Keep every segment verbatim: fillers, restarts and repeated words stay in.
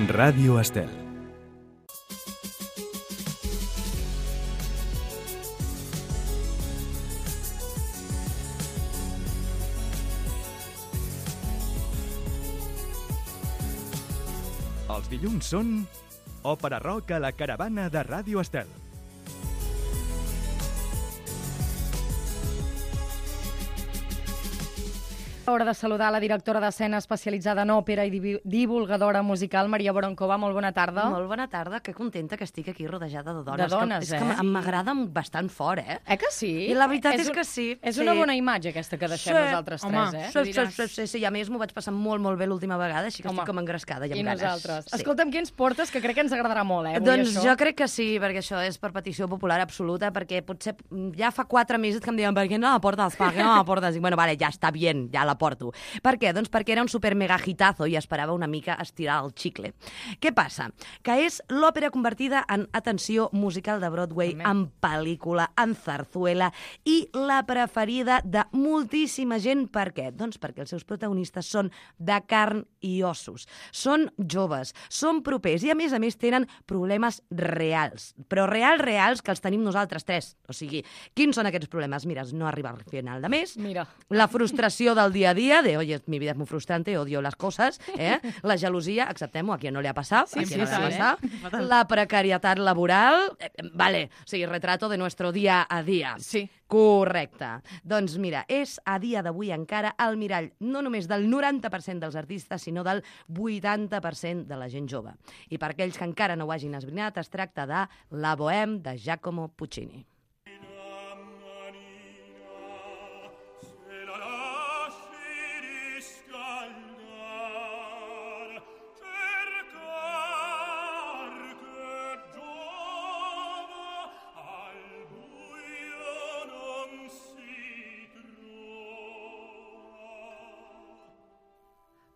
Ràdio Estel. Els dilluns són Òpera Rock a la caravana de Ràdio Estel. Hora de saludar la directora d'escena especialitzada en òpera i divulgadora musical, Maria Boroncova. Molt bona tarda. Molt bona tarda, que contenta que estic aquí rodejada de dones. De dones, és eh? que, és que m'agrada bastant fort, eh? Eh que sí? I la veritat és, és que sí. És sí. una bona imatge aquesta que deixem sí. nosaltres Home, tres, eh? Sí, sí, sí, sí, sí, i a més m'ho vaig passar molt, molt bé l'última vegada, així que Home. estic com engrescada i amb I ganes. nosaltres. Sí. Escolta'm, què ens portes? Que crec que ens agradarà molt, eh? Avui Doncs això. jo crec que sí, perquè això és per petició popular absoluta, perquè potser ja fa quatre mesos que em diuen per què no la portes, per què no la portes? I bueno, vale, ja està bien, ja la porto. Per què? Doncs perquè era un super mega hitazo i esperava una mica estirar el xicle. Què passa? Que és l'òpera convertida en, atenció, musical de Broadway, També. en pel·lícula, en zarzuela i la preferida de moltíssima gent. Per què? Doncs perquè els seus protagonistes són de carn i ossos. Són joves, són propers i a més a més tenen problemes reals, però reals, reals, que els tenim nosaltres tres. O sigui, quins són aquests problemes? Mira, no arribar al final de mes, Mira. la frustració del dia a dia, de, oye, mi vida es muy frustrante, odio las cosas, eh? La gelosia, acceptem-ho, a qui no li ha passat, Sí, a qui sí, no li ha sí, passat, la precarietat laboral, eh, vale, o sigui, retrato de nuestro día a día. Sí. Correcte. Doncs mira, és a dia d'avui encara el mirall no només del noranta per cent dels artistes, sinó del vuitanta per cent de la gent jove. I per aquells que encara no ho hagin esbrinat, es tracta de La Bohème de Giacomo Puccini.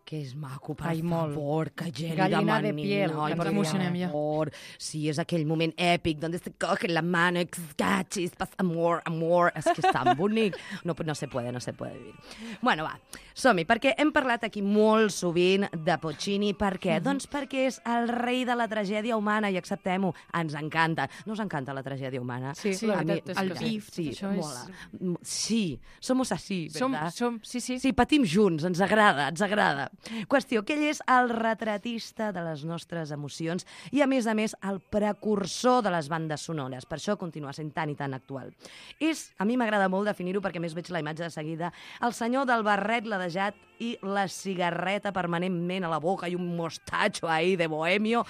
Que és maco, per Ai, molt. favor, que geli Gallina de manina. piel, Ai, ens per emocionem ja. favor. Sí, és aquell moment èpic, donde se coge la mano, cachis, pasa amor, amor. És que és tan bonic. No, no se puede, no se puede dir. Bueno, va, som-hi, perquè hem parlat aquí molt sovint de Puccini. Per què? Mhm. Doncs perquè és el rei de la tragèdia humana, i acceptem-ho, ens encanta. No us encanta la tragèdia humana? Sí, Sí, la a mi, veritat és el que sí. pif, Sí, això és... mola. Sí, somos así, Som, ¿verdad? som, sí, sí. Sí, patim junts, ens agrada, ens agrada. Qüestió, que ell és el retratista de les nostres emocions i, a més a més, el precursor de les bandes sonores. Per això continua sent tan i tan actual. És, a mi m'agrada molt definir-ho, perquè més veig la imatge de seguida, el senyor del barret ladejat i la cigarreta permanentment a la boca i un mostatxo ahí de bohemio.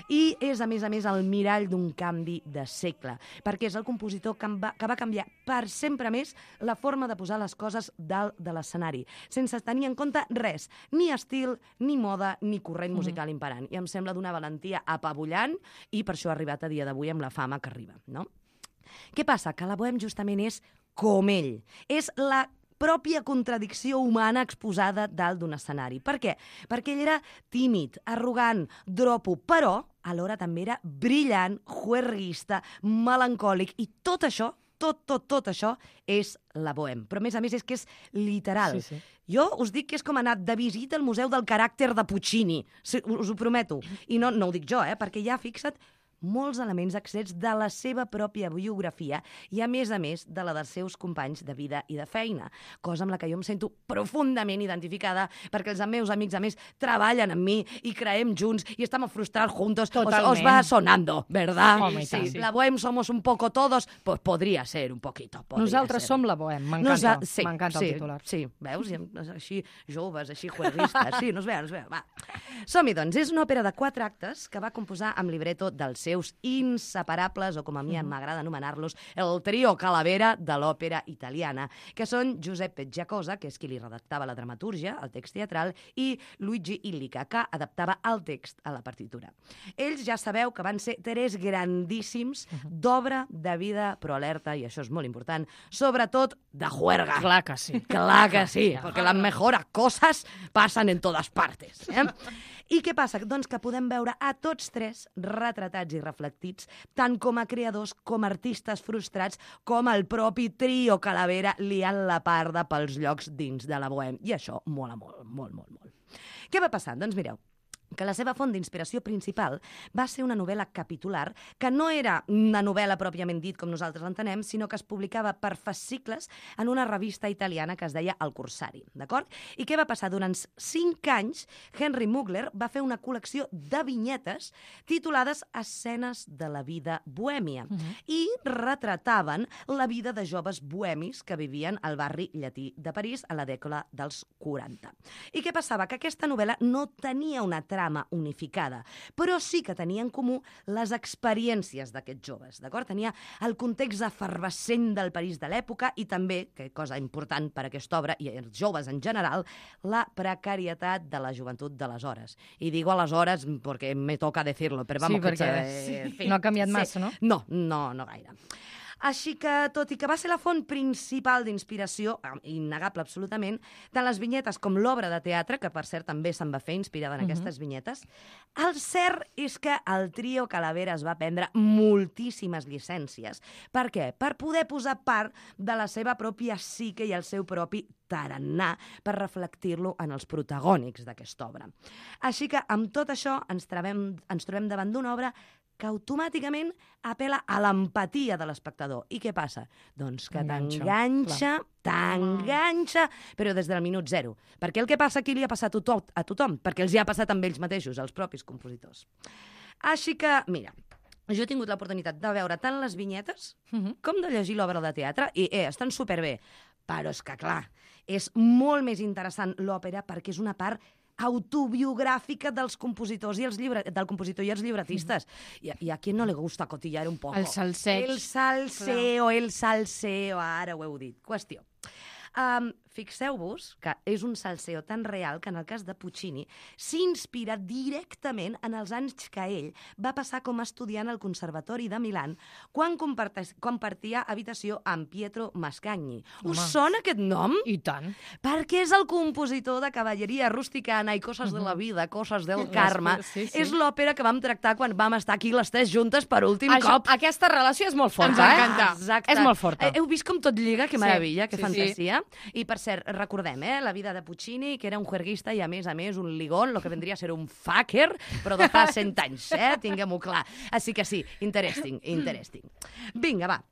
I és, a més a més, el mirall d'un canvi de segle, perquè és el compositor que va, que va canviar per sempre més la forma de posar les coses dalt de l'escenari, sense tenir en compte res, ni estil, ni moda, ni corrent musical imperant. I em sembla d'una valentia apabullant i per això ha arribat a dia d'avui amb la fama que arriba, no? Què passa? Que la Bohème justament és com ell. És la pròpia contradicció humana exposada dalt d'un escenari. Per què? Perquè ell era tímid, arrogant, dropo, però alhora també era brillant, juerguista, melancòlic, i tot això, tot, tot, tot això és la Bohème. Però a més a més és que és literal. Sí, sí. Jo us dic que és com anar de visita al Museu del Caràcter de Puccini, sí, us ho prometo. I no, no ho dic jo, eh, perquè ja fixa't molts elements extrets de la seva pròpia biografia i, a més a més, de la dels seus companys de vida i de feina, cosa amb la que jo em sento profundament identificada, perquè els meus amics, a més, treballen amb mi i creem junts i estem frustrats juntos. Totalment. Os, os va sonando, ¿verdad? Home, i tant. Sí, la Bohème somos un poco todos, pues podria ser un poquito. podria Nosaltres ser. som la Bohème. M'encanta. Nosa- sí, M'encanta sí, el titular. Sí, veus? I així joves, així juerguistes. Sí, no es veu, no es veu. Va. Som-hi, doncs. És una òpera de quatre actes que va composar amb libreto dels seus inseparables, o com a mi m'agrada anomenar-los, el trio Calavera de l'òpera italiana, que són Giuseppe Giacosa, que és qui li redactava la dramatúrgia, el text teatral, i Luigi Illica, que adaptava el text a la partitura. Ells ja sabeu que van ser tres grandíssims d'obra de vida, però alerta, i això és molt important, sobretot de juerga. Clar que sí. Clar que sí, perquè les mejores coses passen en totes partes. Eh? I què passa? Doncs que podem veure a tots tres retratats i reflectits, tant com a creadors, com a artistes frustrats, com el propi trio Calavera liant la parda pels llocs dins de la Bohème. I això mola molt, molt, molt, molt. Què va passar? Doncs mireu, que la seva font d'inspiració principal va ser una novel·la capitular, que no era una novel·la pròpiament dit com nosaltres l'entenem, sinó que es publicava per fascicles en una revista italiana que es deia El Corsari, d'acord? I què va passar? Durant cinc anys, Henry Mugler va fer una col·lecció de vinyetes titulades Escenes de la vida bohèmia uh-huh. i retrataven la vida de joves bohemis que vivien al barri llatí de París a la dècada dels quaranta. I què passava? Que aquesta novel·la no tenia una trama unificada, però sí que tenia en comú les experiències d'aquests joves, d'acord? Tenia el context efervescent del París de l'època i també, que cosa important per a aquesta obra, i els joves en general, la precarietat de la joventut d'aleshores. I digo aleshores perquè me toca decirlo, però vamos sí, perquè que... Eh, sí. no ha canviat sí. massa, no? No, no, no gaire. Així que, tot i que va ser la font principal d'inspiració, innegable absolutament, tant les vinyetes com l'obra de teatre, que per cert també se'n va fer inspirada en uh-huh. aquestes vinyetes, el cert és que el trio Calavera es va prendre moltíssimes llicències. Per què? Per poder posar part de la seva pròpia psique i el seu propi tarannà per reflectir-lo en els protagònics d'aquesta obra. Així que, amb tot això, ens trobem, ens trobem davant d'una obra que automàticament apel·la a l'empatia de l'espectador. I què passa? Doncs que t'enganxa, t'enganxa, però des del minut zero. Perquè el que passa aquí li ha passat a tothom, a tothom, perquè els hi ha passat amb ells mateixos, els propis compositors. Així que, mira, jo he tingut l'oportunitat de veure tant les vinyetes uh-huh. com de llegir l'obra de teatre, i eh, estan superbé. Però és que, clar, és molt més interessant l'òpera perquè és una part autobiogràfica dels compositors i els llibre... del compositor i els llibretistes. I, I a qui no le gusta cotillar un poco? El salseig. El salseo, el salseo, ara ho heu dit. Qüestió. Um, fixeu-vos que és un salseo tan real que en el cas de Puccini s'inspira directament en els anys que ell va passar com a estudiant al Conservatori de Milán quan compartia habitació amb Pietro Mascagni. Home. Us sona aquest nom? I tant. Perquè és el compositor de Cavalleria Rusticana i Coses de la vida, Coses del Karma. Sí, sí. És l'òpera que vam tractar quan vam estar aquí les tres juntes per últim Això, cop. Aquesta relació és molt forta, Ens encanta. Eh? Exacte. És molt forta. Heu vist com tot lliga? Que meravella, que sí, fantasia. Sí. I per cert, recordem, eh, la vida de Puccini, que era un juerguista i a més a més un ligón, lo que vendria a ser un fucker, però de fa cent anys, eh? Tinguem-ho clar. Així que sí, interesting, interesting. Vinga, va.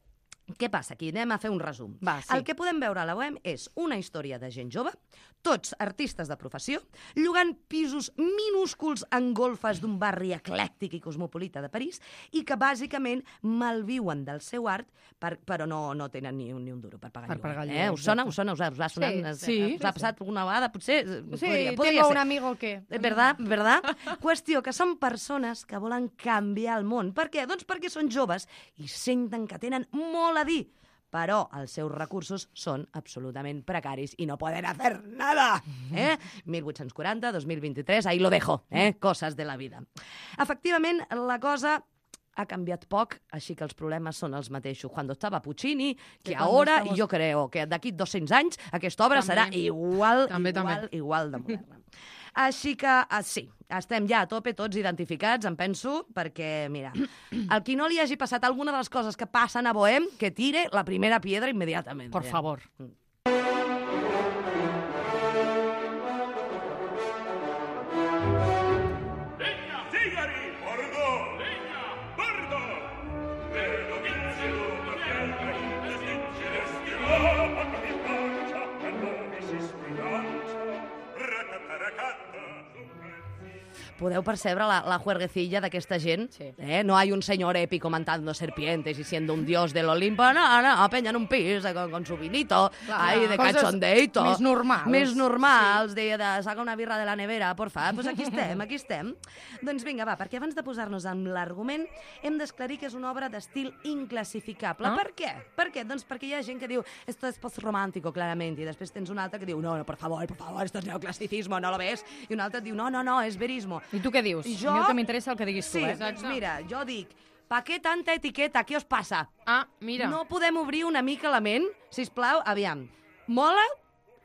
Què passa aquí? Anem a fer un resum. Va, sí. El que podem veure a la web és una història de gent jove, tots artistes de professió, llogant pisos minúsculs en golfes d'un barri eclèctic i cosmopolita de París i que bàsicament malviuen del seu art, per, però no, no tenen ni un, ni un duro per pagar per lloguer. pagar Eh? lloguer, Us sona? Us sona? Us ha, us ha sonat? Sí, Us- sí, us ha sí, passat alguna vegada? Potser? Sí, podria, podria tengo ser. un amigo que... ¿Verdad? ¿Verdad? Qüestió que són persones que volen canviar el món. Per què? Doncs perquè són joves i senten que tenen molt a dir, però els seus recursos són absolutament precaris i no poden hacer nada. Eh? mil vuit-cents quaranta, dos mil vint-i-tres, ahí lo dejo, eh? Coses de la vida. Efectivament, la cosa ha canviat poc, així que els problemes són els mateixos. Quan estava Puccini, que ara, estamos... jo creo que d'aquí dos-cents anys aquesta obra També. serà igual, També, igual, també. igual de moderna. Així que, ah, sí, estem ja a tope tots identificats, em penso, perquè, mira, al qui no li hagi passat alguna de les coses que passen a Bohem, que tire la primera piedra immediatament. Por favor. Legna! Sigari! Bordo! Legna! Bordo! Vedo vizio da terra in desdice l'estirò, ma mi pancia, per noi si sfidanza, racata-racata, Podeu percebre la, la juerguecilla d'aquesta gent? Sí. Eh? No hay un señor épico matando serpientes y siendo un dios del Olimpo. No, no, peña en un pis con, con su vinito, Clar, ahí de coses cachondeito. més normals. Més normals, sí. de, de saca una birra de la nevera, porfa. Doncs pues aquí estem, aquí estem. Doncs vinga, va, perquè abans de posar-nos amb l'argument hem d'esclarir que és una obra d'estil inclassificable. Ah. Per què? Per què? Doncs perquè hi ha gent que diu esto es postromántico, clarament, i després tens un altre que diu no, no, por favor, por favor, esto es neoclassicismo, no lo ves? I un altre diu no, no, no, és verismo. I tu què dius? Jo... A mi el que m'interessa el que diguis Sí, tu, eh? doncs mira, jo dic, pa què tanta etiqueta? Què us passa? Ah, mira. No podem obrir una mica la ment? Sisplau, aviam. Mola?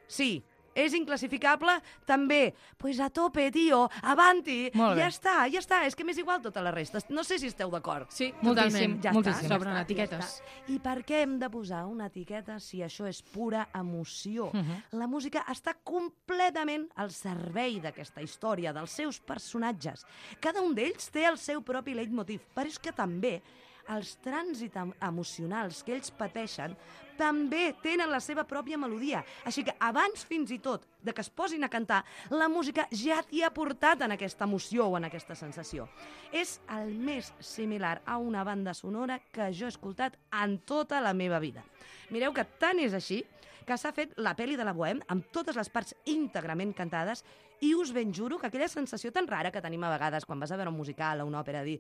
Sí. És inclassificable? També. Pues a tope, tio, avanti. Molt bé. Ja està, ja està. És que m'és igual tota la resta. No sé si esteu d'acord. Sí, Moltíssim, totalment. Ja moltíssim. està, ja Sobren està, etiquetes. ja està. I per què hem de posar una etiqueta si això és pura emoció? Uh -huh. La música està completament al servei d'aquesta història, dels seus personatges. Cada un d'ells té el seu propi leitmotiv, però és que també els trànsits em- emocionals que ells pateixen també tenen la seva pròpia melodia. Així que abans fins i tot de que es posin a cantar, la música ja t'hi ha portat en aquesta emoció o en aquesta sensació. És el més similar a una banda sonora que jo he escoltat en tota la meva vida. Mireu que tant és així que s'ha fet la pel·li de la Bohème amb totes les parts íntegrament cantades i us ben juro que aquella sensació tan rara que tenim a vegades quan vas a veure un musical o una òpera, dir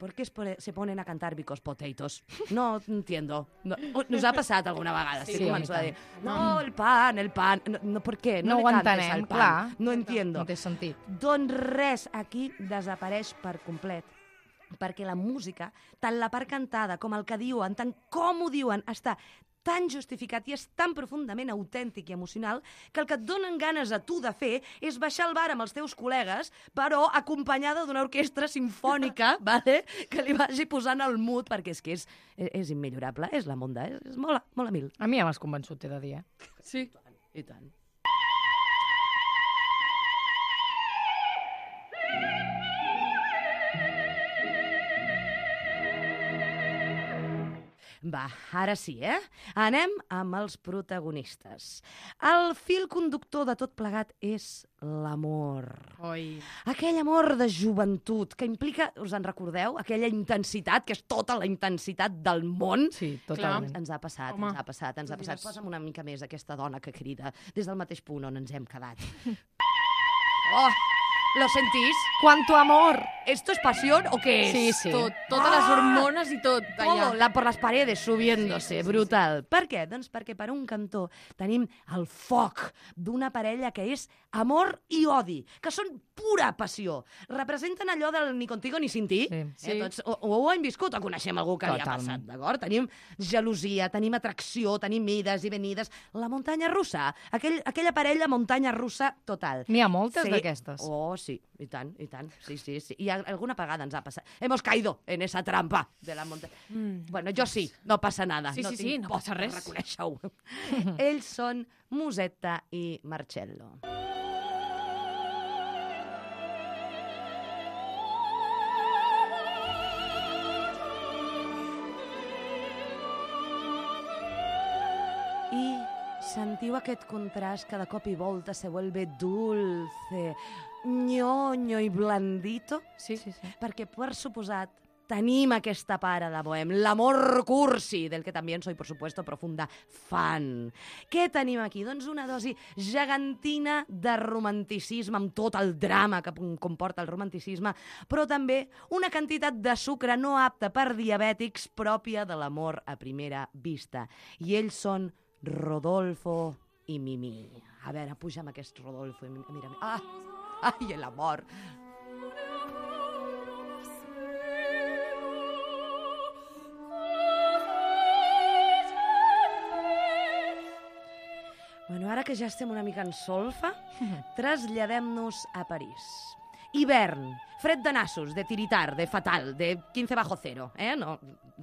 ¿por qué se ponen a cantar Because Potatoes? No entiendo. No, nos ha passat alguna vegada. Sí, Sí, començo a a mi dir, no, el pan, el pan... No, no ¿por qué? No, No le ho cantes entenem, al pan. clar. No entiendo. No té sentit. Doncs res, aquí desapareix per complet. Perquè la música, tant la part cantada com el que diuen, tant com ho diuen, està tan justificat i és tan profundament autèntic i emocional que el que et donen ganes a tu de fer és baixar al bar amb els teus col·legues, però acompanyada d'una orquestra simfònica, vale? Que li vagi posant el mood, perquè és que és, és immillorable, és la monda, és, és molt, molt a mil. A mi ja m'has convençut, t'he de dir, eh? Sí. I tant. Va, ara sí, eh? Anem amb els protagonistes. El fil conductor de tot plegat és l'amor. Oi. Aquell amor de joventut que implica, us en recordeu, aquella intensitat, que és tota la intensitat del món. Sí, totalment. Ens ha passat, Home, ens ha passat, ens ha tu passat. diràs. Posa'm una mica més aquesta dona que crida des del mateix punt on ens hem quedat. Oh, ¿lo sentís? Quanto amor! ¿Esto es pasión o qué es? Sí, sí. Tot, totes les hormones i tot. Todo, Allà. la, por las paredes subiéndose, Sí, sí, sí, brutal. Per què? Doncs perquè per un cantó tenim el foc d'una parella que és amor i odi, que són pura passió. Representen allò del ni contigo ni sin ti. Sí. Eh, Sí. tots, o, o ho hem viscut o coneixem algú que li ha Totalment. passat, d'acord? Tenim gelosia, tenim atracció, tenim ides i venides. La muntanya russa, aquell, aquella parella muntanya russa total. N'hi ha moltes Sí. d'aquestes. Oh, sí, i tant, i tant. Sí, sí, sí. I alguna vegada ens ha passat. Hemos caído en esa trampa de la muntanya. Mm. Bueno, jo sí, no passa nada. Sí, no sí, tinc sí, no por passa de res. reconèixer-ho. Ells són Musetta i Marcello. I sentiu aquest contrast que de cop i volta se vuelve dulce, ñoño i blandito? Sí, sí, sí. Perquè, per suposat, tenim aquesta para de Bohème, l'amor cursi, del que també soy, por supuesto, profunda fan. Què tenim aquí? Doncs una dosi gegantina de romanticisme, amb tot el drama que comporta el romanticisme, però també una quantitat de sucre no apta per diabètics pròpia de l'amor a primera vista. I ells són Rodolfo i Mimi. A veure, puja'm aquest Rodolfo i Mimi. Mira, mira. Ah! Ai, l'amor! Bueno, ara que ja estem una mica en solfa, traslladem-nos a París. Hivern, fred de nassos, de tiritar, de fatal, de quinze bajo cero, eh? No,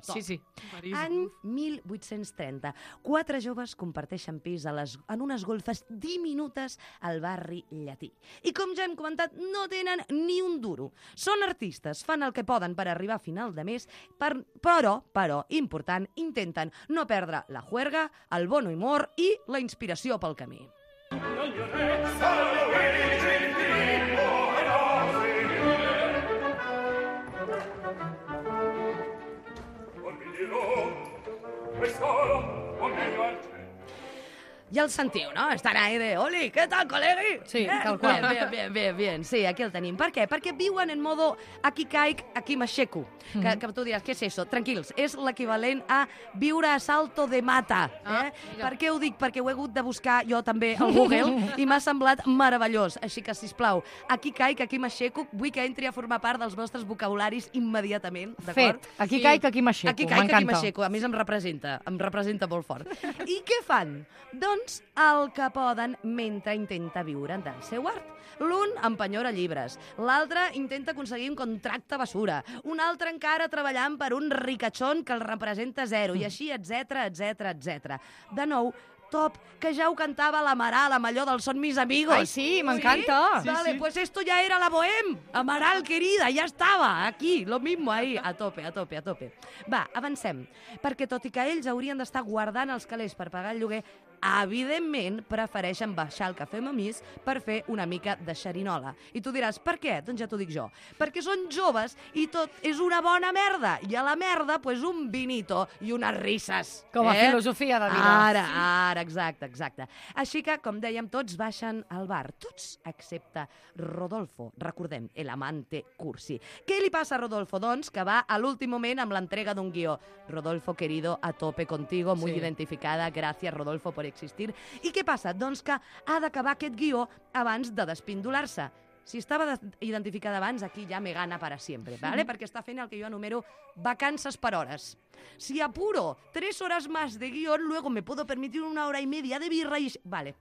top. Sí, sí. París. Any mil vuit-cents trenta. Quatre joves comparteixen pis a les, en unes golfes diminutes al barri llatí. I com ja hem comentat, no tenen ni un duro. Són artistes, fan el que poden per arribar a final de mes, per, però, però, important, intenten no perdre la juerga, el bon humor i la inspiració pel camí. Ja el sentiu, no? Estan ahí de, oli, què tal, col·legui? Sí, eh? tal qual. Bien, bien, bien, bien. Sí, aquí el tenim. Per què? Perquè viuen en modo aquí caic, aquí m'aixeco. Mhm. Que, que tu diràs, què és això? Tranquils, és l'equivalent a viure a salto de mata. Ah, Eh? mira. Per què ho dic? Perquè ho he hagut de buscar jo també al Google i m'ha semblat meravellós. Així que, sisplau, aquí caic, aquí m'aixeco, vull que entri a formar part dels vostres vocabularis immediatament, d'acord? Fet. Aquí Sí. caic, aquí m'aixeco. Aquí caic, aquí M'encanta. m'aixeco. A més, em representa, em representa molt fort. I què fan? Doncs dos el que poden mentre intenta viure del seu art. L'un empenyora llibres, l'altre intenta aconseguir un contracte basura, un altre encara treballant per un ricachón que el representa zero, i així, etcètera, etcètera, etcètera. De nou, top, que ja ho cantava l'Amaral amb allò del Son mis amigos. Ai, sí, m'encanta. Sí? Vale, pues esto ya era la Bohem. Amaral, querida, ya estava aquí, lo mismo ahí, a tope, a tope, a tope. Va, avancem, perquè tot i que ells haurien d'estar guardant els calés per pagar el lloguer, evidentment prefereixen baixar el cafè Mamís per fer una mica de xerinola. I tu diràs, per què? Doncs ja t'ho dic jo. Perquè són joves i tot és una bona merda. I a la merda, pues, un vinito i unes risses. Com a eh? filosofia de vida. Ara, ara, exacte, exacte. Així que, com dèiem, tots baixen al bar. Tots, excepte Rodolfo. Recordem, el amante cursi. Què li passa a Rodolfo? Doncs que va a l'últim moment amb l'entrega d'un guió. Rodolfo, querido, a tope contigo, muy Sí. identificada. Gracias, Rodolfo, por existir. I què passa? Doncs que ha d'acabar aquest guió abans de despindolar-se. Si estava identificada abans, aquí ja me gana para siempre, ¿vale? Perquè està fent el que jo anumero vacances per hores. Si apuro tres horas más de guión, luego me puedo permitir una hora y media de birra y... Vale.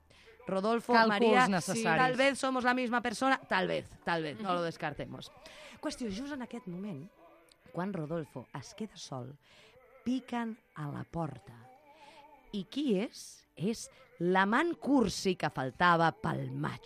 Rodolfo, Cálculos María, necessaris. tal vez somos la misma persona, tal vez, tal vez, no lo descartemos. Qüestió, just en aquest moment, quan Rodolfo es queda sol, piquen a la porta. I qui és? És l'amant cursi que faltava pel maig.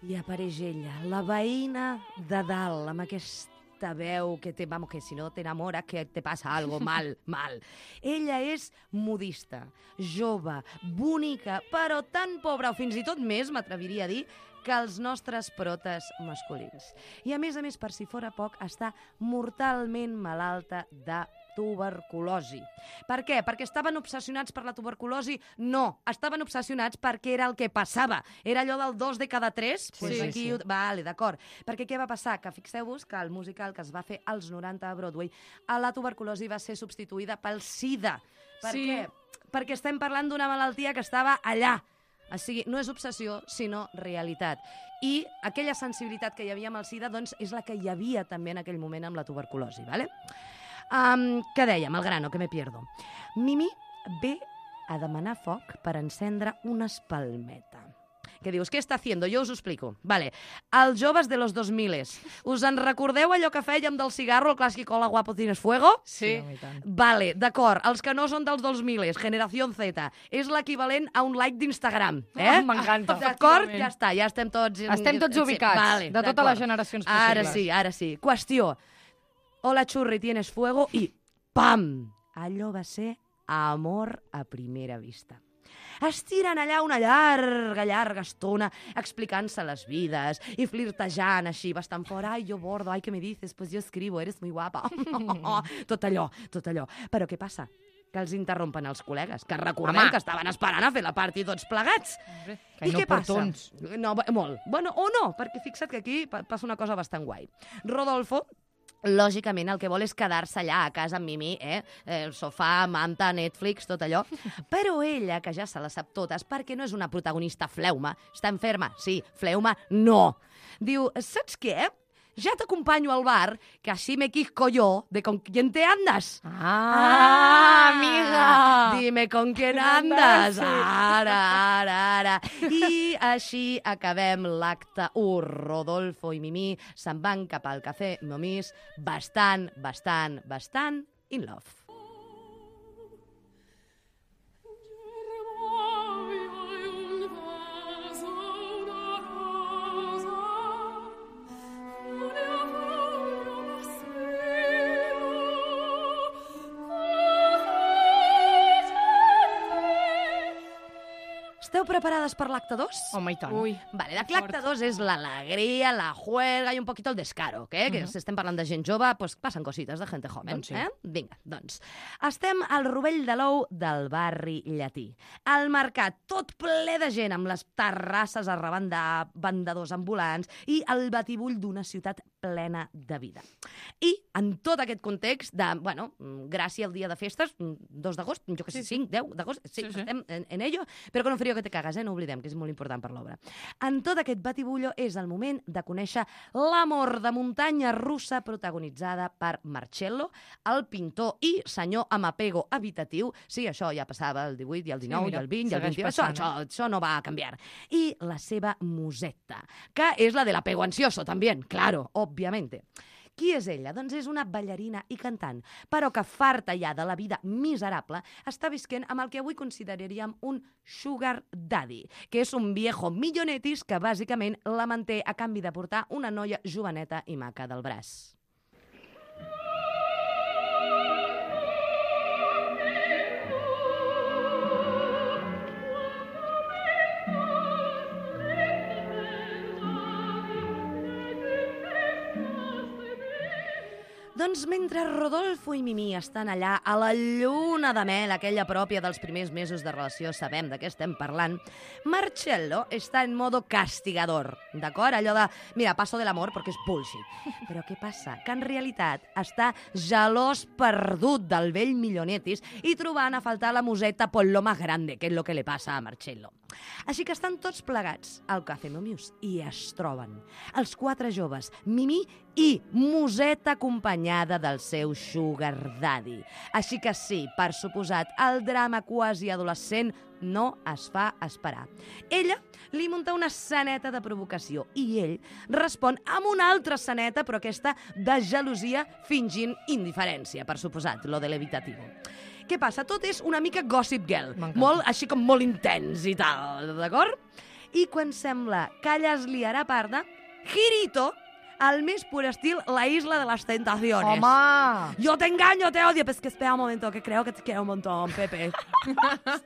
I apareix ella, la veïna de dalt, amb aquesta veu que, te, vamos, que si no t'enamora, que te passa algo mal, mal. Ella és modista, jove, bonica, però tan pobra, o fins i tot més, m'atreviria a dir, que els nostres protes masculins. I a més a més, per si fora poc, està mortalment malalta de tuberculosi. Per què? Perquè estaven obsessionats per la tuberculosi? No, estaven obsessionats perquè era el que passava. Era allò del dos de cada tres? Sí, pues sí, aquí, sí. Vale, d'acord. Perquè què va passar? Que fixeu-vos que el musical que es va fer als noranta a Broadway, a la tuberculosi va ser substituïda pel SIDA. Per Sí. què? Perquè estem parlant d'una malaltia que estava allà. O sigui, no és obsessió, sinó realitat. I aquella sensibilitat que hi havia amb el SIDA, doncs, és la que hi havia també en aquell moment amb la tuberculosi, ¿vale? Um, què dèiem? El grano, que me pierdo. Mimi ve a demanar foc per encendre una espalmeta. Què dius? Què està haciendo? Jo us ho explico. Vale. Els joves de los dos miles. Us en recordeu allò que fèiem del cigarro, el clàssic Hola guapo tienes fuego? Sí. No, i tant. Vale, d'acord. Els que no són dels dos miles, generació Z, és l'equivalent a un like d'Instagram. Eh? Ah, m'encanta. D'acord? Ja està, ja estem tots... Estem tots ubicats, Vale, de totes d'acord. les generacions Ara possibles. sí, ara sí. Qüestió. Hola, xurri, tienes fuego, i pam! Allò va ser amor a primera vista. Es tiren allà una llarga, llarga estona explicant-se les vides i flirtejant així, bastant fora. Ai, jo bordo, ai, què me dices? Pues yo escribo, eres muy guapa. Tot allò, tot allò. Però què passa? Que els interrompen els col·legues, que recordem Home. que estaven esperant a fer la party tots plegats. Que I què passa? inoportuns. No, bé, molt. Bueno, o no, perquè fixa't que aquí pa- passa una cosa bastant guai. Rodolfo, lògicament, el que vol és quedar-se allà a casa amb Mimi, eh? El sofà, manta, Netflix, tot allò. Però ella, que ja se les sap totes, perquè no és una protagonista fleuma, està enferma, sí, fleuma, no. Diu, saps què? Ja t'acompanyo al bar, que així me quisco jo de con quién te andas. Ah, amiga! Dime con quién andas. Ara, ara, ara. I així acabem l'acte u. Rodolfo i Mimi se'n van cap al cafè Momís bastant, bastant, bastant in love. Esteu preparades per l'acte dos? Home, i tant. Ui. Vale, l'acte dos és l'alegria, la juerga i un poquito el descaro, que, que si estem parlant de gent jove, pues passen cosites de gente joven. Doncs sí. Eh? Vinga, doncs. Estem al rovell de l'ou del barri llatí. Al mercat, tot ple de gent, amb les terrasses arrabant de vendedors ambulants i el batibull d'una ciutat plena de vida. I en tot aquest context de, bueno, gràcia al dia de festes, dos d'agost, jo que sé, Sí, sí. cinc, deu d'agost, sí, Sí, sí. estem en, en ello, però con un frío que te cagas, eh? No oblidem, que és molt important per l'obra. En tot aquest batibullo és el moment de conèixer l'amor de muntanya russa protagonitzada per Marcello, el pintor i senyor amb apego habitatiu. Sí, això ja passava el divuit i el dinou, mira, i el vint, i el segueix vint-i-u. Això, passant, això, això no va a canviar. I la seva musetta, que és la de l'apego ansioso, també, claro, òbviamente. Qui és ella? Doncs és una ballarina i cantant, però que farta ja de la vida miserable està visquent amb el que avui consideraríem un sugar daddy, que és un viejo millonetis que bàsicament la manté a canvi de portar una noia joveneta i maca del braç. Doncs mentre Rodolfo i Mimí estan allà a la lluna de mel, aquella pròpia dels primers mesos de relació, sabem de què estem parlant, Marcello està en modo castigador, d'acord? Allò de, mira, paso de l'amor perquè és bullshit. Però què passa? Que en realitat està gelós perdut del vell millonetis i trobant a faltar la museta por lo más grande, que és lo que le passa a Marcello. Així que estan tots plegats al Café Momius i es troben els quatre joves, Mimí i museta acompanyada del seu sugar daddy. Així que sí, per suposat, el drama quasi adolescent no es fa esperar. Ella li munta una esceneta de provocació i ell respon amb una altra esceneta, però aquesta de gelosia fingint indiferència, per suposat, lo de l'evitativo. Què passa? Tot és una mica Gossip Girl, M'encanta. molt, així com molt intens i tal, d'acord? I quan sembla que allà es liarà parda, Girito, al més pur estil La Isla de las Tentaciones. Home! Yo te engaño, te odio. Pues que espera un momento, que creo que te quiero un montón, Pepe.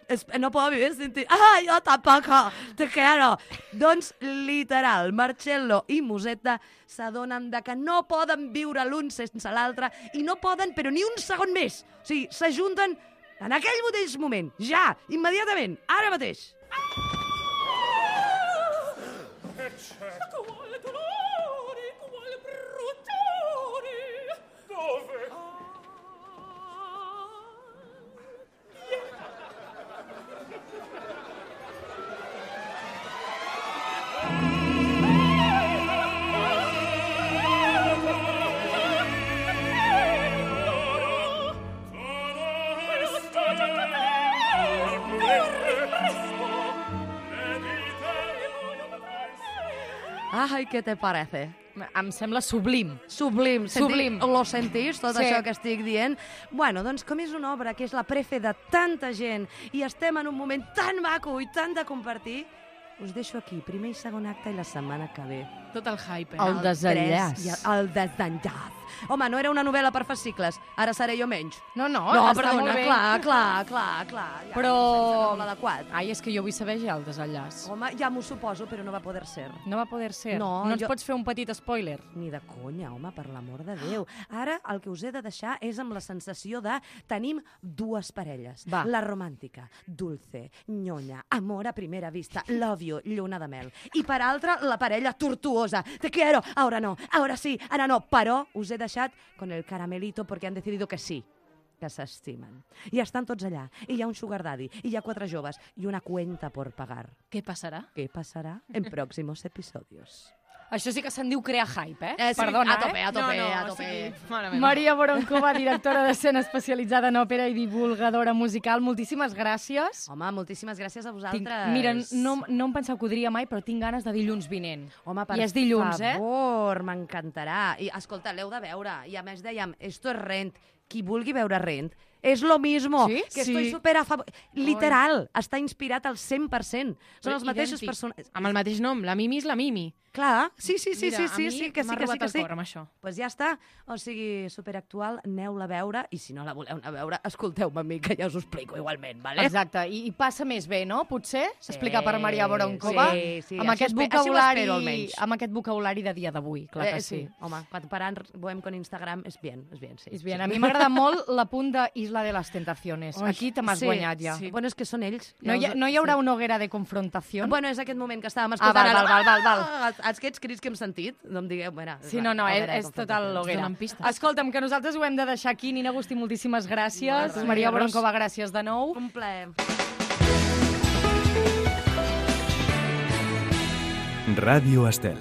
es, no puedo vivir sin ti. Ah, yo tampoco, te quiero. Doncs, literal, Marcello i Musetta s'adonen de que no poden viure l'un sense l'altre i no poden, però ni un segon més. O sigui, s'ajunten en aquell mateix moment, ja, immediatament, ara mateix. Quale dolore, quale bruttore! Dove? Ai, què te parece? Em sembla sublim. Sublim. Sublim. Senti, lo sentís, tot Sí. això que estic dient? Bueno, doncs com és una obra que és la prefe de tanta gent i estem en un moment tan maco i tan de compartir, us deixo aquí, primer i segon acte i la setmana que ve. Tot el hype, eh? El desenllaç. tres i el, el desenllaç. Home, no era una novel·la per fascicles, ara seré jo menys. No, no, no, està perdona, molt bé. clar, clar, clar, clar. Ja, Però... em sembla molt adequat. Ai, és que jo vull saber ja el desenllaç. Home, ja m'ho suposo, però no va poder ser. No va poder ser. No, no ens jo- pots fer un petit spoiler? Ni de conya, home, per l'amor de Déu. Ara el que us he de deixar és amb la sensació de tenim dues parelles. Va. La romàntica, dulce, nyonya, amor a primera vista, love you, lluna de mel. I per altra, la parella tortuosa. Te quiero, ahora no, ahora sí, ara no. Però us he deixat con el caramelito porque han decidido que sí, que s'estimen. I estan tots allà. I hi ha un sugar daddy, i hi ha quatre joves, i una cuenta por pagar. Què passarà? Què passarà en próximos episodios? Això sí que se'n diu crear hype, eh? Eh, sí, Perdona, a tope, eh? a tope, no, no, a o tope. sigui, mare eh? meva. Maria Boronkova, directora d'escena especialitzada en òpera i divulgadora musical, moltíssimes gràcies. Home, moltíssimes gràcies a Tinc, vosaltres. mira, no, no em pensava que ho diria mai, però tinc ganes de dilluns vinent. Home, per I és dilluns, eh? favor, m'encantarà. I, escolta, l'heu de veure. I a més dèiem, esto es Rent. Qui vulgui veure Rent, és lo mismo. Sí? Que Sí. estoy super a favor. Literal, està inspirat al cent per cent. Són els mateixos Idèntic. personatges. Amb el mateix nom, la Mimi és la Mimi. Clar, sí, sí, sí, Mira, sí, a sí, mi sí, que sí, m'ha que sí, robat que el sí. cor amb això. Pues ja està, o sigui, superactual, aneu-la a veure, i si no la voleu anar a veure, escolteu-me a mi, que ja us ho explico igualment, vale? Exacte, i, i passa més bé, no? Potser, sí, explicar per Maria Voronkova, sí, sí, amb, així aquest espe- així ho vocabulari, espero, almenys. amb aquest vocabulari de dia d'avui, clar que Eh, sí. Home, quan paran Bohem con Instagram és bien, és bien, sí. És bien. sí. A mi m'agrada molt la punt de Isla de les Tentaciones. Ui, Aquí te m'has sí, guanyat ja. Sí. Bueno, és que són ells. No hi, ha, no hi haurà una hoguera de confrontació? Bueno, és aquest moment que estàvem Ah, escoltant. val, ara. val, val, val, Ah, Aquests crits que hem sentit, no em digueu... Mira, Sí, no, no, és, hoguera de és total confrontacions. l'hoguera. Donen pistes. Escolta'm, que nosaltres ho hem de deixar aquí. Nina Agustí, moltíssimes gràcies. Molt bé. Maria Voronkova, gràcies de nou. Un plaer. Ràdio Estel.